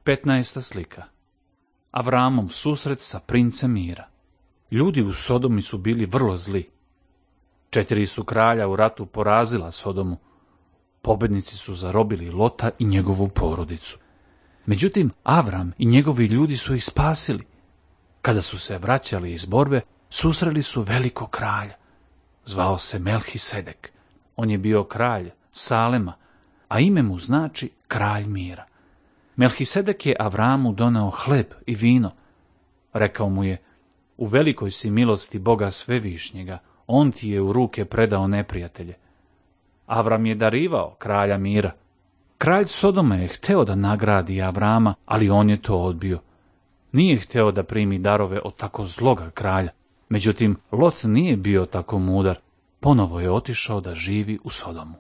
15. slika. Avramov susret sa princem mira. Ljudi u Sodomi su bili vrlo zli. 4 su kralja u ratu porazila Sodomu. Pobednici su zarobili Lota i njegovu porodicu. Međutim, Avram i njegovi ljudi su ih spasili. Kada su se vraćali iz borbe, susreli su velikog kralja. Zvao se Melhisedek. On je bio kralj Salema, a ime mu znači kralj mira. Melhisedek je Avramu doneo hleb i vino. Rekao mu je: u velikoj si milosti Boga Svevišnjega, on ti je u ruke predao neprijatelje. Avram je darivao kralja mira. Kralj Sodome je hteo da nagradi Avrama, ali on je to odbio. Nije hteo da primi darove od tako zloga kralja. Međutim, Lot nije bio tako mudar. Ponovo je otišao da živi u Sodomu.